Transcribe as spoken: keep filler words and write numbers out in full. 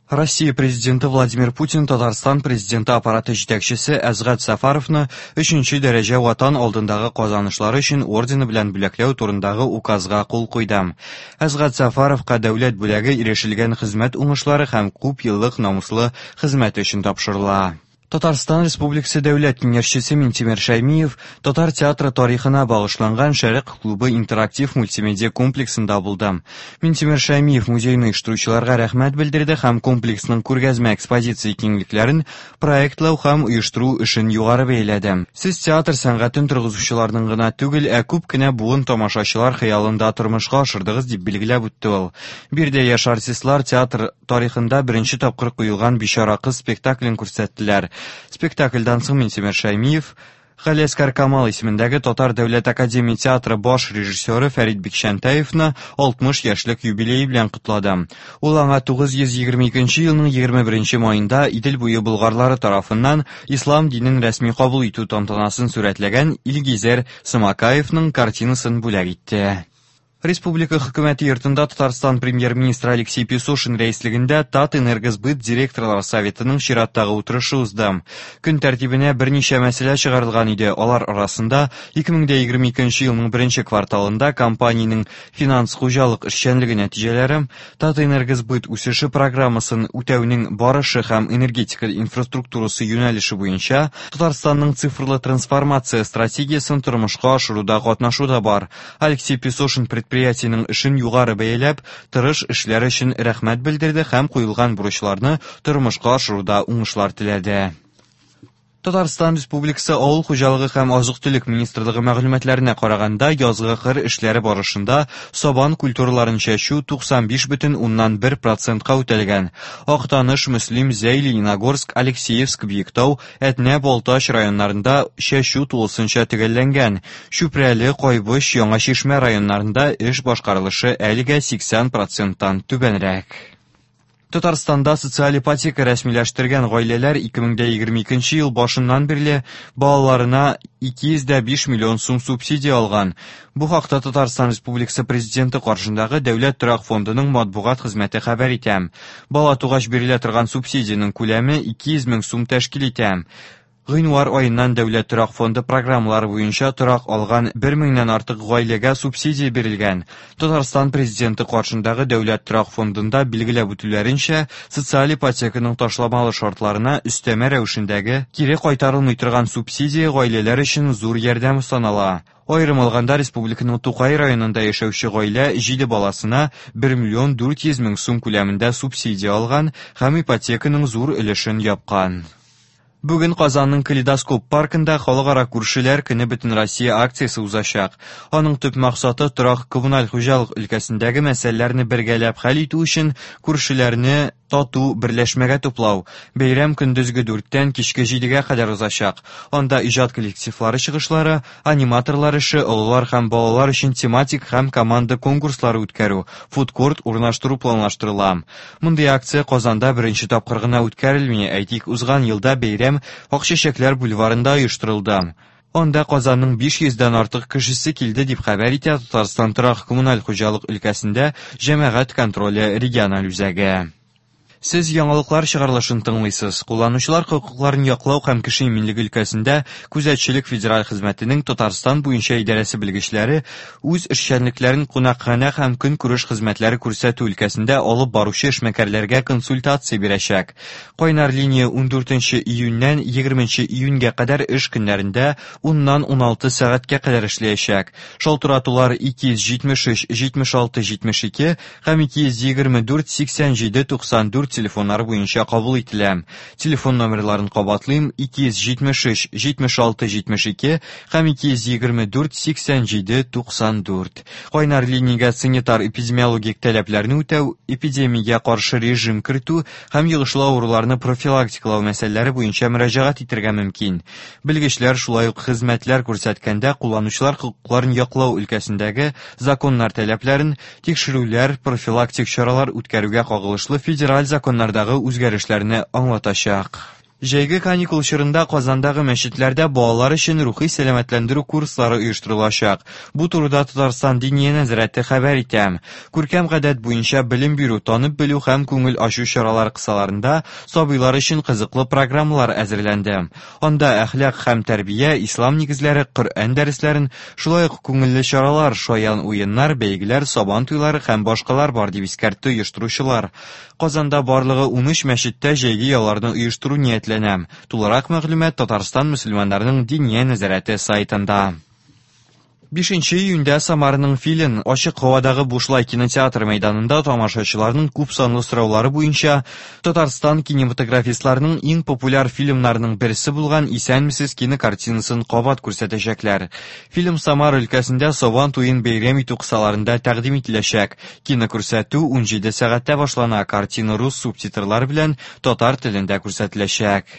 Россия Президенты Владимир Путин Татарстан Президенты аппараты җитәкчесе Әсгать Сәфәровны өченче дәрәҗә Ватан алдындагы казанышлары өчен ордены белән бүләкләү турындагы указга кул куйды. Әсгать Сәфәровка дәүләт бүләге ирешелгән хезмәт уңышлары һәм күп еллык намуслы хезмәте өчен тапшырыла. Татарстан Республикасы Дәүләт Киңәшчесе Минтимер Шәймиев татар театры тарихына багышланган Шәрык клубы интерактив мультимедиа комплексында булды. Минтимер Шәймиев музейны оештыручыларга рәхмәт белдерде һәм комплексның күргәзмә экспозиция киңлекләрен проектлау һәм оештыру эшен югары бәяләде. Сез театр сәнгатен торгызучыларның гына түгел, ә күп кенә буын тамашачылар хыялында тормышка ашырдыгыз, дип билгеләп үтте ул. Биредә яшь артистлар театр тарихында беренче тапкыр куелган Бичара кыз спектаклен күрсәттеләр. Спектакльдән соң Минтимер Шәймиев Галиәсгар Камал исемендәге Татар дәүләт академия театры баш режиссеры Фәрит Бикчәнтәевны алтмыш яшьлек юбилее белән котлады. Ул аңа тугыз йөз егерме икенче елның егерме беренче маенда Идел буе болгарлары тарафыннан ислам динен рәсми кабул итү тантанасын сурәтләгән Илгизәр Самакаевның картинасын бүләк итте. Республика хөкүмәте йортында Татарстан премьер-министры Алексей Песошин рәислегендә Татэнергосбыт директорлар советының чираттагы утырышы узды. Көн тәртибенә берничә мәсьәлә чыгарылган иде. Алар арасында ике мең дә егерме икенче елның беренче кварталында компаниянең финанс хуҗалык эшчәнлеге нәтиҗәләре, Татэнергосбыт үсеше программасын үтәүнең барышы һәм энергетика инфраструктурасы юнәлеше буенча Татарстанның цифрлы трансформация стратегиясен тормышка ашыруда катнашу да бар. Алексей Песошин предприятиенең эшен югары бәяләп, тырыш эшләр өчен рәхмәт белдерде һәм куелган бурычларны тормышка ашыруда уңышлар теләде. Татарстан Республикасы Авыл хуҗалыгы һәм азык-төлек министрлыгы мәгълүматларына караганда, язгы кыр эшләре барышында сабан культураларын чәчү туксан биш бөтен уннан бер процентка үтәлгән. Актаныш, Мөслим, Зәй, Лениногорск, Алексеевск, Биектау, Әтнә, Балтач районнарында чәчү тулысынча төгәлләнгән. Чүпрәле, Кайбыч, Яңа Чишмә районнарында эш башкарылышы әлегә сиксән проценттан түбәнрәк. Татарстанда социаль ипотека рәсмиләштергән гаиләләр ике мең дә егерме икенче ел башыннан бирле балаларына ике йөз дә биш миллион сум субсидия алган. Бу хакта Татарстан Республикасы Президенты каршындагы Дәүләт торак фондының матбугат хезмәте хәбәр итә. Бала тугач бирелә торган субсидиянең күләме ике йөз мең сум тәшкил итә. Гыйнвар айыннан Дәүләт торак фонды программалары буенча торак алган бер меңнән артык гаиләгә субсидия бирелгән. Татарстан Президенты каршындагы Дәүләт торак фондында билгеләп үтүләренчә, социаль ипотеканың ташламалы шартларына өстәмә рәвешендәге кире кайтарылмый торган субсидия гаиләләр өчен зур ярдәм санала. Аерым алганда, республиканың Тукай районында яшәүче гаилә җиде баласына бер миллион дүрт йөз мең сум күләмендә субсидия алган һәм ипотеканың зур өлешен япкан. Бүген Казанның Калейдоскоп паркында Халыкара күршеләр көне бөтен Россия акциясе узачак. Аның төп максаты торак коммуналь хуҗалык өлкәсендәге мәсьәләләрне бергәләп хәл итү өчен күршеләрне тату берләшмәгә туплау. Бәйрәм көндезге дүрттән кичке җидегә кадәр узачак. Анда иҗат коллективлары чыгышлары, аниматорлар эше, олылар һәм балалар өчен тематик һәм команда конкурслары үткәрү, фудкорт урнаштыру планлаштырыла. Мондый акция Казанда беренче тапкыр гына үткәрелми. Әйтик, узган елда бәйрәм Акчәчәкләр бульварында оештырылды. Анда Казанның биш йөздән артык кешесе килде дип хәбәр итә Татарстан торак коммуналь хуҗалык өлкәсендә җәмәгать контроле региональ үзәге. Сез яңалыклар чыгарылышын тыңлыйсыз. Кулланучылар хокукларын яклау һәм кеше иминлеге өлкәсендә күзәтчелек федераль хезмәтенең Татарстан буенча идарәсе белгечләре үз эшчәнлекләрен кунакханә һәм көнкүреш хезмәтләре күрсәтү өлкәсендә алып баручы эшмәкәрләргә консультация бирәчәк. Кайнар линия ундүртенче июньнән егерменче июньгә кадәр эш көннәрендә уннан уналты сәгатькә кадәр эшләячәк. Шалтыратулар ике йөз җитмеш өч, җитмеш алты, җитмеш ике һәм ике йөз егерме дүрт, сиксән җиде, туксан дүрт телефоннары буенча кабул ителә. Телефон номерларын кабатлыйм: ике йөз җитмеш өч, җитмеш алты, җитмеш ике һәм ике йөз егерме дүрт, сиксән җиде, туксан дүрт. Кайнар линиягә санитар эпидемиологик таләпләрне үтәү, эпидемиягә каршы режим кертү һәм йогышлы авыруларны профилактикалау мәсьәләләре буенча мөрәҗәгать итәргә мөмкин. Белгечләр шулай ук хезмәтләр күрсәткәндә кулланучылар хокукларын яклау өлкәсендәге законнар таләпләрен, тикшерүләр, профилактик чаралар үткәрүгә кагылышлы федераль законнардагы үзгәрешләрне аңлатачак. Җәйге каникул чорында Казандагы мәчетләрдә балалар өчен рухи сәламәтләндерү курслары оештырылачак. Бу турыда Татарстан Диния нәзарәте хәбәр итә. Күркәм гадәт буенча белем бирү, танып белү һәм күңел ачу чаралары кысаларында сабыйлар өчен кызыклы программалар әзерләнде. Анда әхлак һәм тәрбия, ислам нигезләре, Коръән дәресләрен, шулай ук күңелле чаралар, шаян уеннар, бәйгеләр, сабан туйлары һәм башкалар бар, дип искәртте оештыручылар. Казанда барлыгы унөч мәчеттә җәйге ялларны оештыру ниятләнә. Тулырак мәгълүмат Татарстан мөселманнарының Диния нәзарәте сайтында. Бишенче июньдә Самараның Филин ачык һавадагы бушлай кинотеатр мәйданында тамашачыларның күп санлы сораулары буенча Татарстан кинематографистларының иң популяр фильмнарының берсе булган «Исәнмесез» кинокартинасын кабат күрсәтәчәкләр. Фильм Самара өлкәсендә Сабан туен бәйрәм итү кысаларында тәкъдим ителәчәк. Кинокүрсәтү унҗиде сәгатьтә башлана. Картина рус субтитрлары белән татар телендә күрсәтеләчәк.